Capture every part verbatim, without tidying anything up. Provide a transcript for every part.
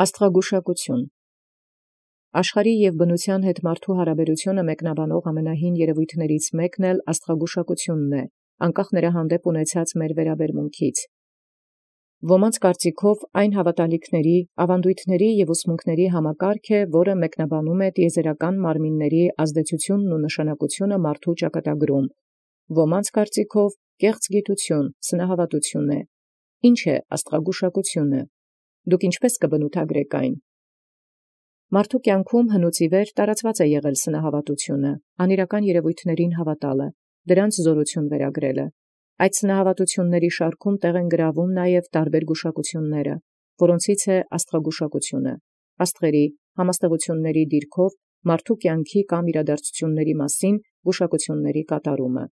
Աստղագուշակութիւն։ Աշխարհի և բնութեան հետ մարդու հարաբերութիւնը մեկնաբանող ամենահին երևոյթացն մեկն էլ աստղագուշակութիւնն է, անկախ նրա հանդեպ ունեցած մեր վերաբերմունքից։ Ոմանց կարծիքով այն հաւատալիքների, աւանդութիւնների և ուսմունքների համակարգ է, որը մեկնաբանում է տիեզերական մարմինների ազդեցութիւնն ու նշանակութիւնը մարդու ճակատագրում. Ոմանց կարծիքով կեղծ գիտութիւն, սնահաւատութիւն է։ Ի՞նչ է աստղագուշակութիւնը։ Դուք ի՞նչպէս կբնութագրէք այն։ Մարդու կյանքում հնուց ի վեր տարածված է եղել սնահաւատութիւնը, անիրական երևոյթացն հաւատալը, դրանց զօրութիւն վերագրելը։ Այդ սնահաւատութիւնների շարքում տեղ են գրավում նաև տարբեր գուշակութիւնները, որոնցից է աստղագուշակութիւնը, աստղերի, համաստեղութիւնների դիրքով մարդու կյանքի կամ իրադարձութիւնների մասին գուշակութիւնների կատարումը։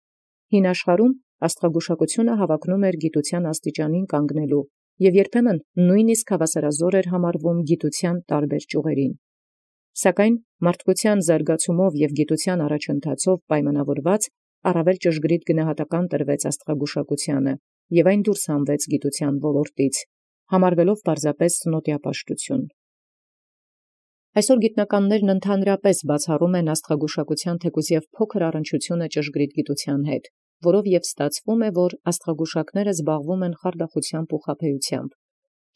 Հին աշխարհում աստղագուշակութիւնը հավակնում էր գիտութեան աստիճանին կանգնելու և երբեմն նույնիսկ հաւասարազոր էր համարվում գիտութեան տարբեր ճիւղերին։ Սակայն մարդկութեան զարգացումով և գիտութեան առաջընթացով պայմանաւորված առավել ճշգրիտ գնահատական տրվեց աստղագուշակութեանը, և այն դուրս հանվեց գիտութեան ոլորտից, համարվելով պարզապես նոտիապաշտութիւն։ Այսօր գիտնականներն ընդհանրապես բացառում են աստղագուշակութեան թեկուզ և փոքր առնչութիւնը ճշգրիտ գիտութեան հետ, որով և ստացվում է, որ աստղագուշակները զբաղվում են խարդախութեամբ ու խաբեութեամբ։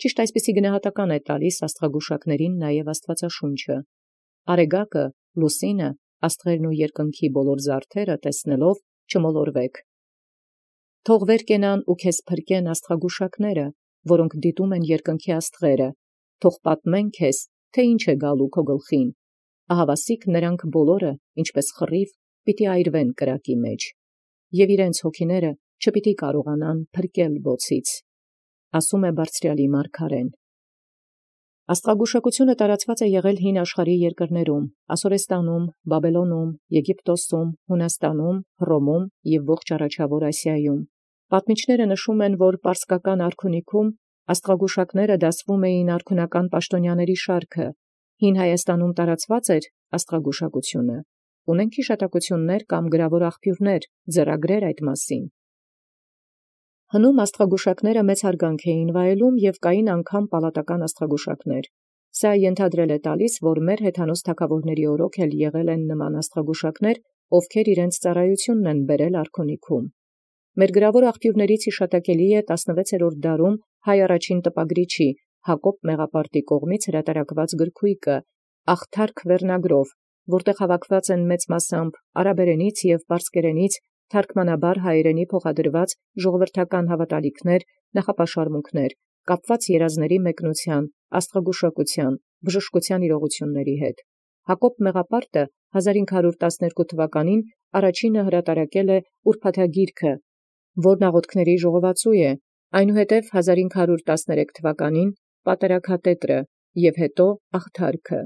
Ճիշտ այսպիսի գնահատական է տալիս աստղագուշակներին նաև Աստուածաշունչը. «Արեգակը, լուսինը, աստղերն ու երկնքի բոլոր զարդերը տեսնելով չմոլորվեք։ Թող վեր կենան ու քեզ փրկեն աստղագուշակները, որոնք դիտում են երկնքի աստղերը, թող պատմեն քեզ, թե ինչ է գալու քո գլխին. ահավասիկ նրանք բոլորը, ինչպէս խռիվ, պիտի այրվեն կրակի մեջ, և իրենց հոգիները չպիտի կարողանան փրկել բոցից», ասում է Բարձրեալի մարգարեն։ Աստղագուշակութիւնը տարածված է եղել հին աշխարհի երկրներում՝ Ասորեստանում, Բաբելոնում, Եգիպտոսում, Հունաստանում, Հռոմում և ողջ առաջավոր Ասիայում։ Պատմիչները նշում են, որ պարսկական արքունիքում աստղագուշակները դասվում էին արքունական պաշտոնյաների շարքը։ Հին Հայաստանում տարածված էր աստղագուշակութիւնը։ Ունենք հիշատակութիւններ կամ գրավոր աղբիւրներ, ձեռագրեր այդ մասին։ Հնում աստղագուշակները մեծ հարգանք էին վայելում և կային անգամ պալատական աստղագուշակներ։ Սա ենթադրել է տալիս, որ մեր հեթանոս թագաւորաց օրոք էլ եղել են նման աստղագուշակներ, ովքեր իրենց ծառայութիւնն են բերել արքունիքում։ Մեր գրավոր աղբիւրներից յիշատակելի է տասնվեցերորդ դարում հայ առաջին տպագրիչի Հակոբ Մեղապարտի կողմից հրատարակված գրքույկը «Աղթարք» վերնագրով, որտեղ հավաքված են մեծ մասամբ արաբերենից և պարսկերենից թարգմանաբար հայերենի փոխադրված ժողովրդական հաւատալիքներ, նախապաշարմունքներ, կապված երազների մեկնութեան, աստղագուշակութեան, բժշկութեան իրողութիւնների հետ։ Հակոբ Մեղապարտը հազար ինք հարյուր տասներկու թվականին առաջինը հրատարակել է ուրփաթագիրքը, որն աղոթքների ժողովածու է, այնուհետև հազար ինք հարյուր տասներեք թվականին Պատերաքատետրը և հետո Աղթարքը։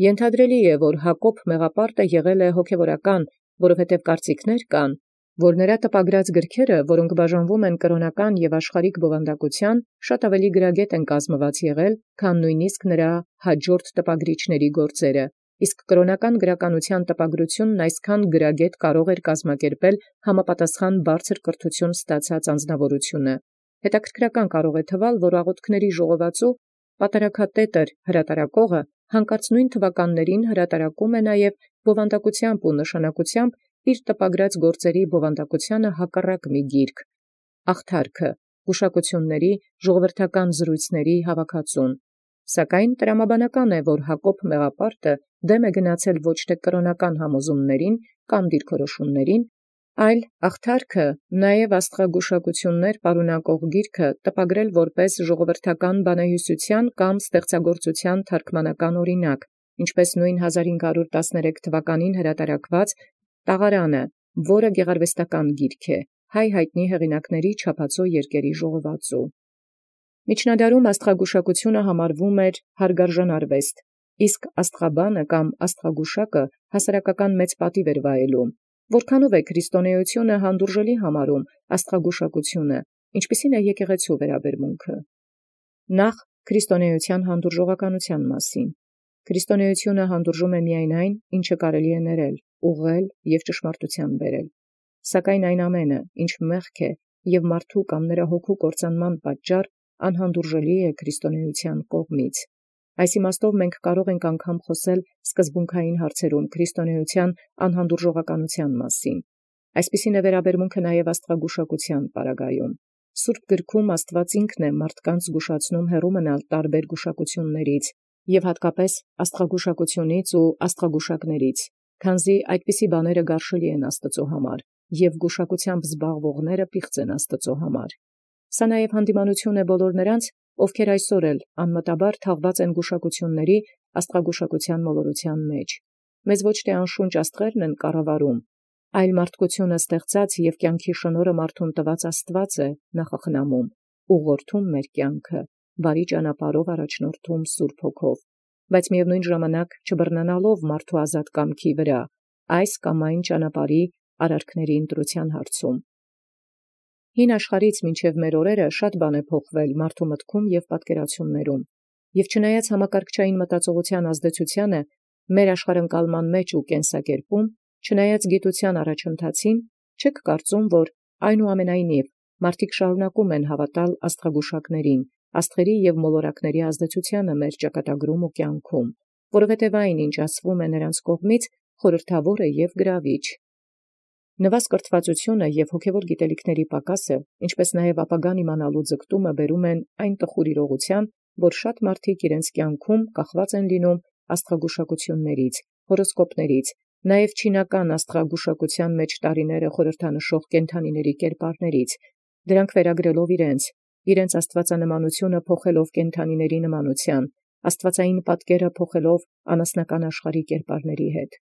Ենթադրելի է, որ Հակոբ Մեղապարտը եղել է հոգևորական, որովհետև կարծիքներ կան, որ նրա տպագրած գրքերը, որոնք բաժանվում են կրոնական և աշխարհիկ բովանդակութեան, շատ ավելի գրագետ են կազմված եղել, քան նույնիսկ նրա հաջորդ տպագրիչների գործերը, իսկ կրոնական գրականութեան տպագրութիւնն այսքան գրագետ կարող էր կազմակերպել համապատասխան բարձր կրթութիւն ստացած անձնաւորութիւնը։ Հետաքրքրական կարող է թվալ, որ աղոթքների ժողովածու Պատերաքատետր հրատարակողը հանկարծ նույն թվականներին հրատարակում է նաև բովանդակութեամբ ու նշանակութեամբ իր տպագրած գործերի բովանդակութեանը հակառակ մի գիրք՝ Աղթարքը, գուշակութիւնների, ժողովրդական զրոյցների հավաքածուն։ Սակայն տրամաբանական է, որ Հակոբ Մեղապարտը դեմ է գնացել ոչ թե կրոնական համոզումացն կամ դիրքորոշումացն, այլ Աղթարքը նաև աստղագուշակութիւններ պարունակող գիրքը տպագրել որպէս ժողովրդական բանահյուսութեան կամ ստեղծագործութեան թարգմանական օրինակ, ինչպէս նոյն հազար ինք հարյուր տասներեք թվականին հրատարակված Տաղարանը, որը գեղարվեստական գիրք է, հայ յայտնի հեղինակացն չափածո երկերի ժողովածու։ Միջնադարում աստղագուշակութիւնը համարվում էր հարգարժան արուեստ, իսկ աստղաբանը կամ աստղագուշակը հասարակական մեծ պատիւ էր վայելում։ Որքանով է քրիստոնեությունը հանդուրժելի համարում աստղագուշակութիւնը, ինչպիսի՞ն է եկեղեցւոյ վերաբերմունքը։ Նախ քրիստոնեության հանդուրժողականութեան մասին։ Քրիստոնեությունը հանդուրժում է միայն այն, ինչը կարելի է ներել, ուղղել և ճշմարտութեան բերել։ Սակայն այն ամենը, ինչ մեղք է և մարդու կամ նրա հոգու կործանման պատճառ, անհանդուրժելի է քրիստոնեության կողմից։ Այս իմաստով մենք կարող ենք անգամ խոսել սկզբունքային հարցերում քրիստոնեության անհանդուրժողականության մասին։ Այսպիսին է վերաբերմունքը նաև աստղագուշակության պարագայում։ Սուրբ գրքում Աստված ինքն է մարդկանց զգուշացնում հեռու մնալ տարբեր գուշակություններից և հատկապես աստղագուշակությունից ու աստղագուշակներից, քանզի այդպիսի բաները գարշելի են Աստծո համար, և գուշակությամբ զբաղվողները պիղծ են Աստծո համար։ Սա նաև հանդիմանություն է բոլոր նրանց, ովքեր այսօր էլ անմտաբար թաղված են գուշակությունների աստղագուշակության մոլորության մեջ։ Մեզ ոչ թե անշունչ աստղերն են կառավարում, այլ մարդկությունը ստեղծած և կյանքի շնորհը մարդուն տված Աստված է նախախնամում, ուղղորդում մեր կյանքը, բարի ճանապարհով առաջնորդում Սուրբ Հոգով, բայց միևնույն ժամանակ չբռնանալով մարդու ազատ կամքի վրա, այս կամ այն ճանապարհի արարքների ընտրության հարցում։ Հին աշխարհից մինչև մեր օրերը շատ բան է փոխվել մարդու մտքում և պատկերացումներում, և չնայած համակարգչային մտածողության ազդեցությանը մեր աշխարհընկալման մեջ ու կենսակերպում, չնայած գիտության առաջընթացին, չեք կարծում, որ այնուամենայնիվ մարդիկ շարունակում են հավատալ աստղագուշակներին, աստղերի և մոլորակների ազդեցությանը մեր ճակատագրում ու կյանքում, որովհետև այն, ինչ ասվում է նրանց կողմից, խորհրդավոր է և գրավիչ։ Նվազ կրթվածությունը և հոգևոր գիտելիքների պակասը, ինչպես նաև ապագան իմանալու ձգտումը բերում են այն տխուր իրողության, որ շատ մարդիկ իրենց կյանքում կախված են լինում աստղագուշակություններից, հորոսկոպներից, նաև չինական աստղագուշակության մեջ տարիները խորհրդանշող կենդանիների կերպարներից, դրանք վերագրելով իրենց, իրենց աստվածանմանությունը փոխելով կենդանիների նմանության, աստվածային պատկերը փոխելով անասնական աշխարհի կերպարների հետ։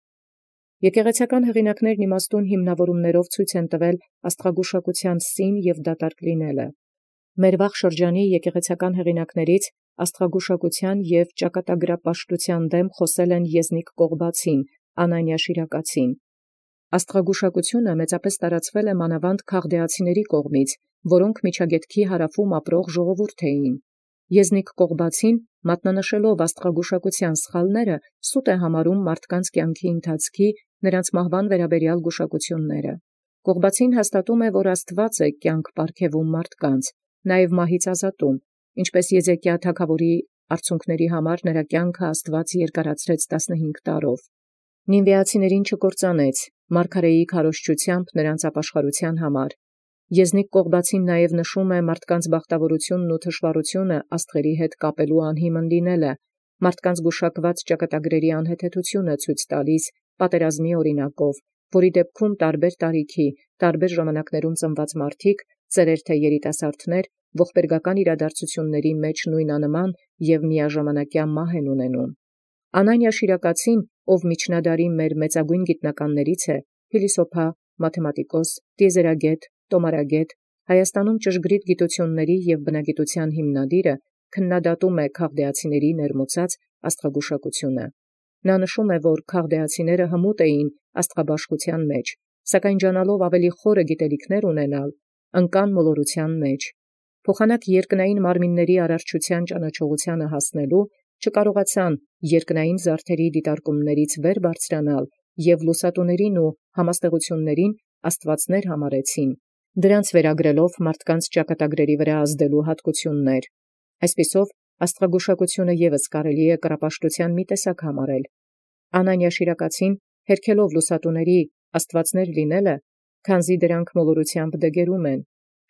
Եկեղեցական հեղինակներն իմաստուն հիմնավորումներով ցույց են տվել աստղագուշակության սին և դատարկ լինելը։ Մեր վաղ շրջանի եկեղեցական հեղինակներից աստղագուշակության և ճակատագրապաշտության դեմ խոսել են Եզնիկ Կողբացին, Անանիա Շիրակացին։ Աստղագուշակությունը մեծապես տարածվել է մանավանդ քաղդեացիների կողմից, որոնք Միջագետքի հարավում ապրող ժողովուրդ էին։ Եզնիկ Կողբացին, մատնանշելով աստղագուշակության սխալները, սուտ է համարում մարդկանց կյանքի ընթացքի նրանց մահվան վերաբերյալ գուշակությունները։ Կողբացին հաստատում է, որ Աստված է կյանք պարգևում մարդկանց, նաև մահից ազատում, ինչպես Եզեկիա թագավորի արցունքների համար նրա կյանքը Աստված երկարացրեց տասնհինգ տարով։ Նինվեացիներին չկործանեց, մարգարեի քարոզչությամբ նրանց ապաշխարության համար։ Եզնիկ Կողբացին նաև նշում է մարդկանց բախտավորությունն ու թշվառությունը աստղերի հետ կապելու անհիմն լինելը, մարդկանց գուշակված ճակատագրերի անհեթեթությունը ցույց տալիս պատերազմի օրինակով, որի դեպքում տարբեր տարիքի, տարբեր ժամանակներում ծնված մարդիկ, ծերեր թե երիտասարդներ, ողբերգական իրադարձությունների մեջ նույնանման և միաժամանակյա մահ են ունենում։ Անանիա Շիրակացին, ով միջնադարի մեր մեծագույն գիտնականներից է, փիլիսոփա, մաթեմատիկոս, տիեզերագետ, տոմարագետ, Հայաստանում ճշգրիտ գիտությունների և բնագիտության հիմնադիրը, քննադատում է քաղդեացիների ներմուծած աստղագուշակությունը։ Նա նշում է, որ քաղդեացիները հմուտ էին աստղաբաշխության մեջ, սակայն ջանալով ավելի խորը գիտելիքներ ունենալ, ընկան մոլորության մեջ։ Փոխանակ երկնային մարմինների արարչության ճանաչողությանը հասնելու չկարողացան երկնային զարդերի դիտարկումներից վեր բարձրանալ և լուսատուներին ու համաստեղություններին աստվածներ համարեցին, դրանց վերագրելով մարդկանց ճակատագրերի վրա ազդելու հատկություններ։ Այսպիսով, աստղագուշակությունը ևս կարելի է կռապաշտության մի տեսակ համարել։ Անանիա Շիրակացին, հերքելով լուսատուների աստվածներ լինելը, քանզի դրանք մոլորությամբ դգերում են,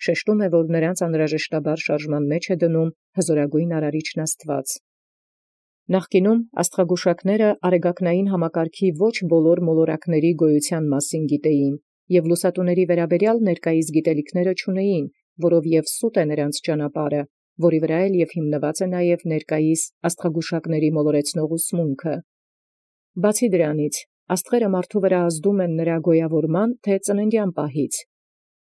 շեշտում է, որ նրանց անհրաժեշտաբար շարժման մեջ է դնում հզորագույն արարիչն Աստված։ Նախկինում աստղագուշակները արեգակնային համակարգի ոչ բոլոր մոլորակների գոյության մասին գիտեին և լուսատուների վերաբերյալ ներկայիս գիտելիքները չունեին, որովև սուտ է նրանց ճանապարհը, որի վրա էլ և հիմնված է նաև ներկայիս աստղագուշակների մոլորեցնող ուսմունքը։ Բացի դրանից, աստղերը մարդու վրա ազդում են նրա գոյավորման թե ծննդյան պահից։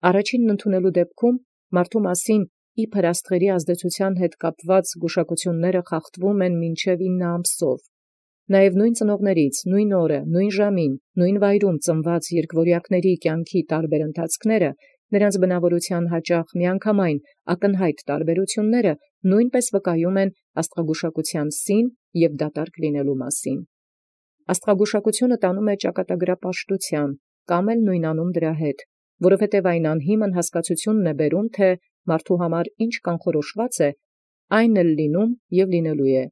Առաջինն ընդունելու դեպքում մարդու մասին իբր աստղերի ազդեցության հետ կապված գուշակությունները խախտվում են մինչև ինը ամսով։ Նաև նույն ծնողներից, նույն օրը, նույն ժամին, նույն վայրում ծնված երկվորյակների կյանքի տարբեր ընթացքները, նրանց բնավորության հաճախ միանգամայն ակնհայտ տարբերությունները նույնպես վկայում են աստղագուշակության սին և դատարկ լինելու մասին։ Աստղագուշակությունը տանում է ճակատագրապաշտության, կամ էլ նույնանում դրա հետ, որովհետև այն անհիմն հասկացությունն է բերում, թե մարդու համար ինչ կանխորոշված է, այն էլ լինում և լինելու է։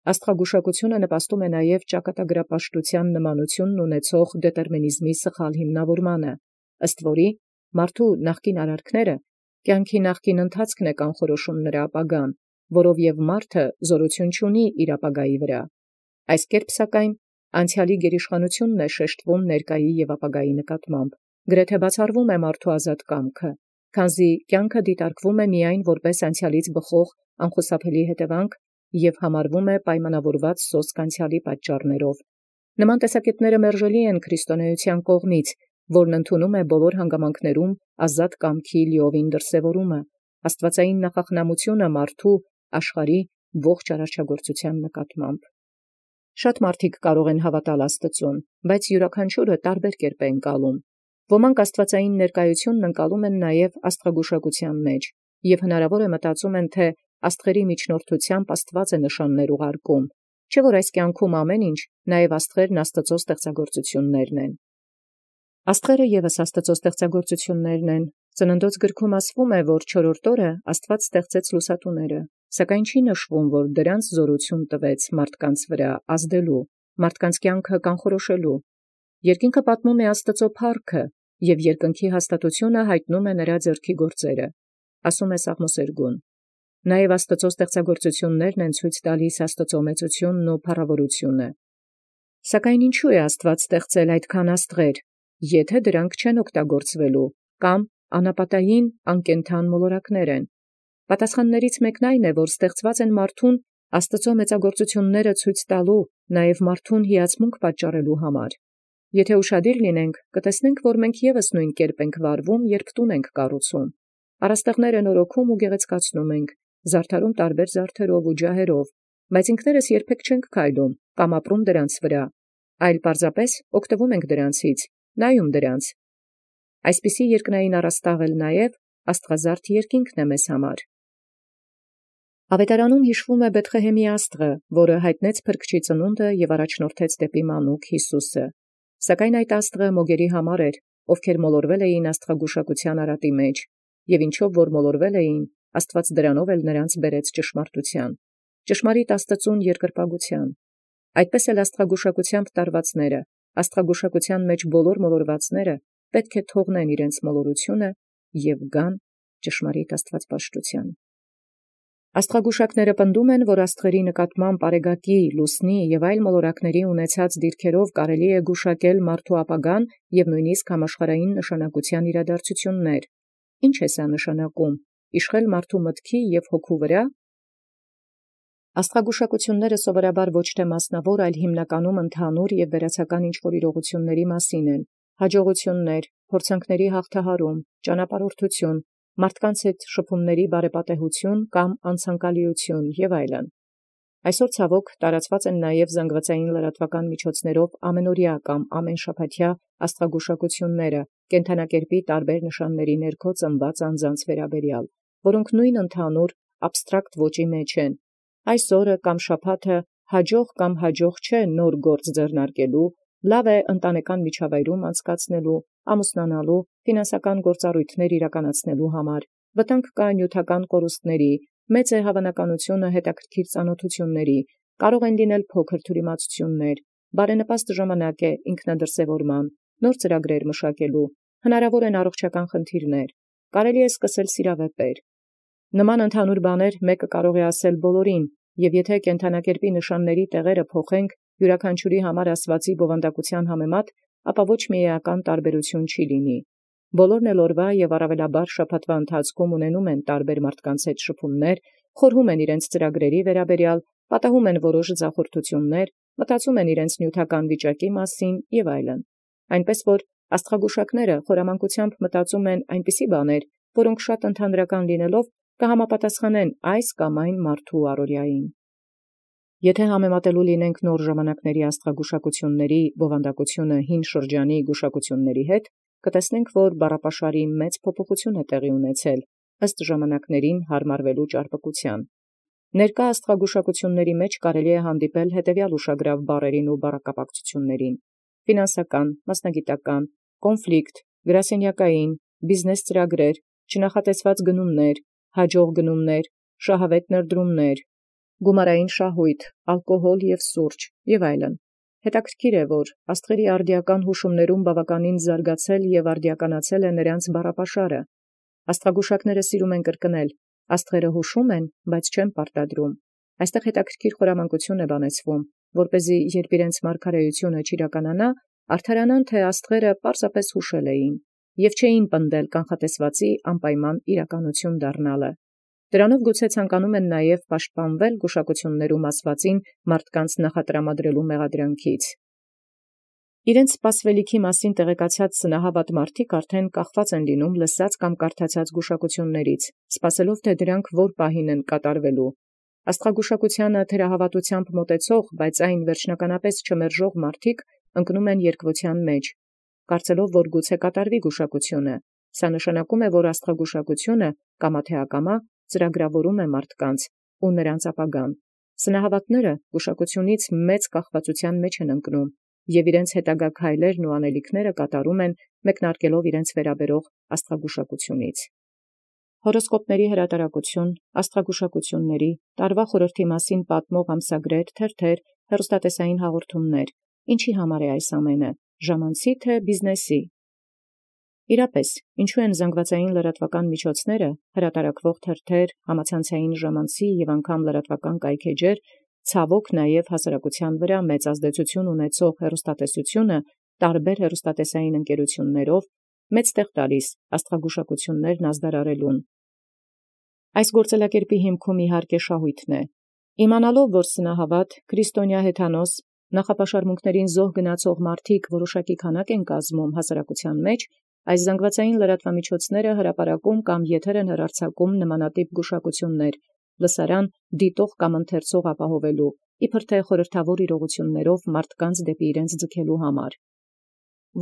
Աստղագուշակությունը նպաստում է նաև ճակատագրապաշտութեան նմանութիւնն ունեցող դետերմինիզմի սխալ հիմնավորմանը, ըստ որի մարդու նախկին արարքները կյանքի նախկին ընթացքն է կանխորոշում նրա ապագան, որով և մարդը զորություն չունի իր ապագայի վրա։ Այս կերպ սակայն անցեալի գերիշխանութիւնն է շեշտվում ներկայի և ապագայի նկատմամբ, գրեթե բացառվում է մարդու ազատ կամքը, քանզի կյանքը դիտարկվում է միայն որպես անցեալից բխող անխուսափելի հետևանք և համարվում է պայմանավորված սոսկ անցեալի պատճառներով։ Նման տեսակետները մերժելի են քրիստոնեության կողմից, որն ընդունում է բոլոր հանգամանքներում ազատ կամքի լիովին դրսևորումը, աստուածային նախախնամությունը մարդու աշխարհի ողջ արարչագործութեան նկատմամբ։ Շատ մարդիկ կարող են հավատալ Աստծուն, բայց յուրաքանչյուրը տարբեր կերպ է ընկալում։ Ոմանք աստուածային ներկայությունն ընկալում են նաև աստղագուշակության մեջ, և հնարավոր է մտածում են, թե աստղերի միջնորդությամբ Աստված է նշաններ ուղարկում, չէ՞ որ այս կյանքում ամեն ինչ, նաև աստղերն Աստծո ստեղծագործություններն են։ Աստղերը ևս Աստծո ստեղծագործություններն են։ Ծննդոց գրքում ասվում է, որ չորրորդ օրը Աստված ստեղծեց լուսատուները, սակայն չի նշվում, որ դրանց զորություն տվեց մարդկանց վրա ազդելու, մարդկանց կյանքը կանխորոշելու։ Երկինքը պատմում է Աստծո փառքը, և երկնքի հաստատությունը հայտնում է նրա ձեռքի գործերը, ասում է Սաղմոսերգուն։ Նաև Աստծո ստեղծագործություններն են ցույց տալիս Աստծո մեծությունն ու փառավորությունը։ Սակայն ինչու է Աստված ստեղծել այդքան աստղեր, եթե դրանք չեն օգտագործվելու կամ անապատային անկենդան մոլորակներ են։ Պատասխաններից մեկն այն է, որ ստեղծված են մարդուն Աստծո մեծագործությունները ցույց տալու, նաև մարդուն հիացմունք պատճառելու համար։ Եթե ուշադիր լինենք, կտեսնենք, որ մենք ևս նույն կերպ ենք վարվում, երբ տուն ենք կառուցում։ Առաստաղներ են օրոքում ու գեղեցկացնում ենք, զարդարում տարբեր զարդերով ու ջահերով, բայց ինքներս երբեք չենք քայլում կամ ապրում դրանց վրա, այլ պարզապես օգտվում ենք դրանցից, նայում դրանց։ Այսպիսի երկնային առաստաղ էլ նաև աստղազարդ երկինքն է մեզ համար։ Ավետարանում հիշվում է Բեթղեհեմի աստղը, որը հայտնեց փրկչի ծնունդը և առաջնորդեց դեպի մանուկ Յիսուսը։ Սակայն այդ աստղը մոգերի համար էր, ովքեր մոլորվել էին աստղագուշակության արատի մեջ, և ինչով որ մոլորվել էին, Աստված դրանով էլ նրանց բերեց ճշմարտութեան, ճշմարիտ Աստծուն երկրպագութեան։ Այդպես էլ աստղագուշակությամբ տարվածները, աստղագուշակության մեջ բոլոր մոլորվածները պետք է թողնեն իրենց մոլորությունը և գան ճշմարիտ աստվածպաշտութեան։ Աստղագուշակները պնդում են, որ աստղերի նկատմամբ արեգակի, լուսնի և այլ մոլորակների ունեցած դիրքերով կարելի է գուշակել մարդու ապագան և նույնիսկ համաշխարհային նշանակության իրադարձություններ։ Ինչ է սա նշանակում, իշխել մարդու մտքի և հոգու վրա։ Աստղագուշակությունները սովորաբար ոչ թե մասնավոր, այլ հիմնականում ընդհանուր և վերացական ինչ-որ իրողությունների մասին են. հաջողություններ, փորձանքների հաղթահարում, ճանապարհորդություն, մարդկանց հետ շփումների բարեպատեհություն կամ անցանկալիություն և այլն։ Այսօր ցավոք տարածված են նաև զանգվածային լրատվական միջոցներով ամենօրյա կամ ամենշաբաթյա աստղագուշակությունները կենդանակերպի տարբեր նշանների ներքո ծնված անձանց վերաբերյալ, որոնք նույն ընդհանուր աբստրակտ ոճի մեջ են։ Այս օրը կամ շաբաթը հաջող կամ հաջող չէ նոր գործ ձեռնարկելու, լավ է ընտանեկան միջավայրում անցկացնելու, ամուսնանալու, ֆինանսական գործառույթներ իրականացնելու համար, վտանգ կա նյութական կորուստների, մեծ է հավանականությունը հետաքրքիր ծանոթությունների, կարող են լինել փոքր թյուրիմացություններ, բարենպաստ ժամանակ է ինքնադրսևորման, նոր ծրագրեր մշակելու, հնարավոր են առողջական խնդիրներ, կարելի է սկսել սիրավեպեր։ Նման ընդհանուր բաներ մեկը կարող է ասել բոլորին, և եթե կենդանակերպի նշանների տեղերը փոխենք յուրաքանչյուրի համար ասվածի բովանդակության համեմատ, ապա ոչ մի էական տարբերություն չի լինի։ Բոլորն էլ օրվա և առավելաբար շաբաթվա ընթացքում ունենում են տարբեր մարդկանց հետ շփումներ, խորհում են իրենց ծրագրերի վերաբերյալ, պատահում են որոշ ձախորդություններ, մտածում են իրենց նյութական վիճակի մասին և այլն։ Այնպես որ աստղագուշակները խորամանկությամբ մտածում են այնպիսի բաներ, որոնք շատ ընդհանրական լինելով կհամապատասխանեն այս կամ այն մարդու առօրյային։ Եթե համեմատելու լինենք նոր ժամանակների աստղագուշակությունների բովանդակությունը հին շրջանի գուշակությունների հետ, կտեսնենք, որ բառապաշարի մեծ փոփոխություն է տեղի ունեցել ըստ ժամանակներին հարմարվելու ճարպկության։ Ներկա աստղագուշակությունների մեջ կարելի է հանդիպել հետևյալ ուշագրավ բառերին ու բառակապակցություններին. ֆինանսական, մասնագիտական, կոնֆլիկտ, գրասենյակային, բիզնես ծրագրեր, չնախատեսված գնումներ, հաջող գնումներ, շահավետ ներդրումներ, գումարային շահույթ, ալկոհոլ և սուրճ և այլն։ Հետաքրքիր է, որ աստղերի արդիական յուշումներում բավականին զարգացել և արդիականացել է նրանց բառապաշարը։ Աստղագուշակները սիրում են կրկնել. աստղերը յուշում են, բայց չեն պարտադրում։ Այստեղ հետաքրքիր խորամանկություն է բանեցվում, որպեսզի երբ իրենց մարգարեությունը չիրականանա, արդարանան, թե աստղերը պարզապես յուշել էին և չէին պնդել կանխատեսվածի անպայման իրականություն դառնալը։ Դրանով գուցե ցանկանում են նաև պաշտպանվել գուշակություններում ասվածին մարդկանց նախատրամադրելու մեղադրանքից։ Իրենց սպասվելիքի մասին տեղեկացած սնահավատ մարդիկ արդեն կախված են լինում լսած կամ կարդացած գուշակություններից, սպասելով թե դրանք որ պահին են կատարվելու։ Աստղագուշակությանը թերահավատությամբ մոտեցող, բայց այն վերջնականապես չմերժող մարդիկ ընկնում են երկվության մեջ, կարծելով, որ գուցե կատարվի գուշակությունը։ Սա նշանակում է, որ աստղագուշակությունը կամա թե ակամա ծրագրավորում է մարդկանց ու նրանց ապագան։ Սնահավատները գուշակությունից մեծ կախվածության մեջ են ընկնում և իրենց հետագա քայլերն ու անելիքները կատարում են մեկնարկելով իրենց վերաբերող աստղագուշակությունից։ Հորոսկոպների հրատարակություն, աստղագուշակությունների, տարվա խորհրդի մասին պատմող ամսագրեր, թերթեր, հեռուստատեսային հաղորդումներ։ Ինչի համար է այս ամենը, ժամանցի թե բիզնեսի։ Իրապես, ինչու են զանգվածային լրատվական միջոցները, հրատարակվող թերթեր, համացանցային ժամանցի և անգամ լրատվական կայքէջեր, ցավոք նաև հասարակության վրա մեծ ազդեցություն ունեցող հեռուստատեսությունը տարբեր հեռուստատեսային ընկերություններով մեծ տեղ տալիս աստղագուշակություններն ազդարարելուն։ Այս գործելակերպի հիմքում իհարկե շահույթն է։ Իմանալով, որ սնահավատ, քրիստոնյա հեթանոս, նախապաշարմունքներին զոհ գնացող մարդիկ որոշակի քանակ են կազմում հասարակության մեջ, այս զանգվածային լրատվամիջոցները հրապարակում կամ եթեր են հեռարձակում նմանատիպ գուշակություններ, լսարան դիտող կամ ընթերցող ապահովելու, իբր թե խորհրդավոր իրողություններով մարդկանց դեպի իրենց ձգելու համար։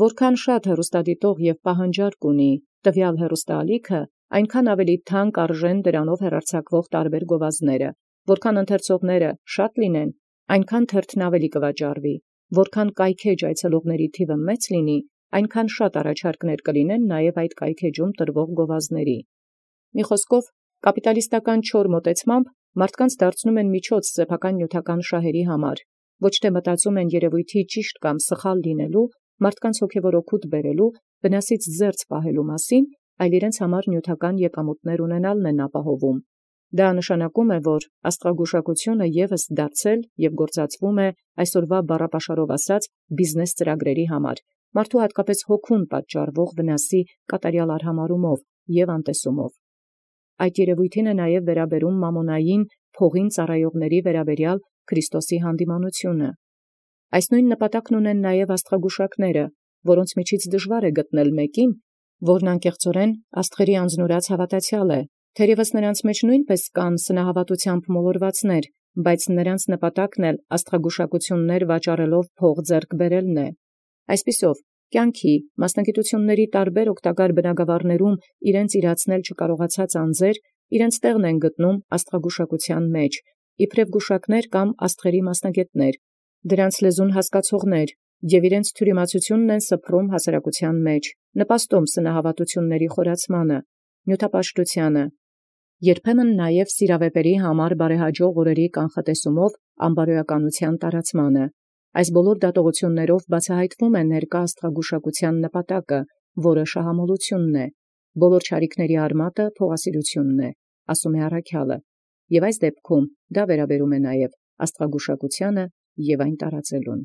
Որքան շատ հեռուստադիտող և պահանջարկ ունի տվյալ հեռուստաալիքը, այնքան ավելի թանկ արժեն դրանով հեռարձակվող տարբեր գովազդները, որքան ընթերցողները շատ լինեն, այնքան թերթն ավելի կվաճառվի, որքան կայքէջ այցելողների թիվը մեծ լինի, այնքան շատ առաջարկներ կլինեն նաև այդ կայքէջում տրվող գովազդների։ Մի խոսքով, կապիտալիստական չոր մոտեցմամբ մարդկանց դարձնում են միջոց սեփական նյութական շահերի համար, ոչ թե մտածում են երևույթի ճիշտ կամ սխալ լինելու, մարդկանց հոգևոր օգուտ բերելու, վնասից զերծ պահելու մասին, այլ իրենց համար նյութական եկամուտներ ունենալն են ապահովում։ Դա նշանակում է, որ աստղագուշակությունը ևս դարձել և գործածվում է այսօրվա բառապաշարով ասած բիզնես ծրագրերի համար, մարդու հատկապես հոգուն պատճառվող վնասի կատարյալ արհամարհումով և անտեսումով։ Այդ երևույթին է նաև վերաբերում մամոնային փողին ծառայողների վերաբերյալ Քրիստոսի հանդիմանությունը։ Այս նույն նպատակն ունեն նաև աստղագուշակները, որոնց միջից դժվար է գտնել մեկին, որն անկեղծորեն աստղերի անձնուրաց հավատացյալ է, թերևս նրանց մեջ նույնպես կան սնահավատությամբ մոլորվածներ, բայց նրանց նպատակն էլ աստղագուշակություններ վաճառելով փող ձեռք բերելն է։ Այսպիսով, կյանքի, մասնագիտությունների տարբեր օգտակար բնագավառներում իրենց իրացնել չկարողացած անձեր իրենց տեղն են գտնում աստղագուշակության մեջ, իբրև գուշակներ կամ աստղերի մասնագետներ, դրանց լեզուն հասկացողներ, և իրենց թյուրիմացությունն են սփռում հասարակության մեջ, նպաստում սնահավատությունների խորացմանը, նյութապաշտությանը, երբեմն նաև սիրավեպերի համար բարեհաջող օրերի կանխատեսումով անբարոյականության տարածմանը։ Այս բոլոր դատողություններով բացահայտվում է ներկա աստղագուշակության նպատակը, որը շահամոլությունն է, բոլոր չարիքների արմատը փողասիրությունն է, ասում է առաքյալը, և այս դեպքում դա վերաբերում է նաև աստղագուշակությանը և այն տարածելուն։